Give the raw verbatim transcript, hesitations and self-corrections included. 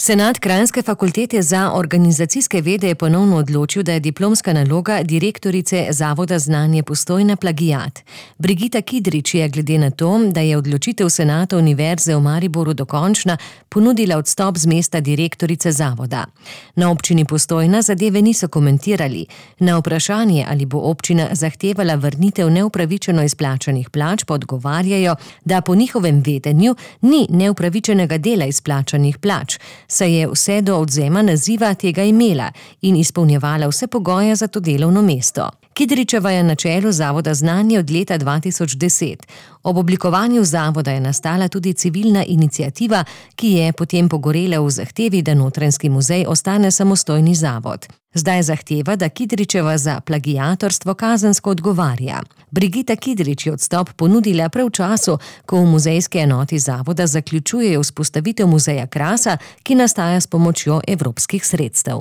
Senat Kranjske fakultete za organizacijske vede je ponovno odločil, da je diplomska naloga direktorice Zavoda Znanje Postojna plagiat. Brigita Kidrič je glede na to, da je odločitev senata Univerze v Mariboru dokončna, ponudila odstop z mesta direktorice zavoda. Na občini Postojna zadeve niso komentirali. Na vprašanje, ali bo občina zahtevala vrnitev neupravičeno izplačanih plač, pa odgovarjajo, da po njihovem vedenju ni neupravičenega dela izplačanih plač, saj je vse do odvzema naziva tega imela in izpolnjevala vse pogoje za to delovno mesto. Kidričeva je na čelu Zavoda Znanje od leta dva tisoč deset. Ob oblikovanju zavoda je nastala tudi civilna iniciativa, ki je potem pogorela v zahtevi, da Notranjski muzej ostane samostojni zavod. Zdaj zahteva, da Kidričeva za plagiatorstvo kazensko odgovarja. Brigita Kidrič je odstop ponudila prav v času, ko v muzejski enoti zavoda zaključujejo vzpostavitev muzeja Krasa, ki nastaja s pomočjo evropskih sredstev.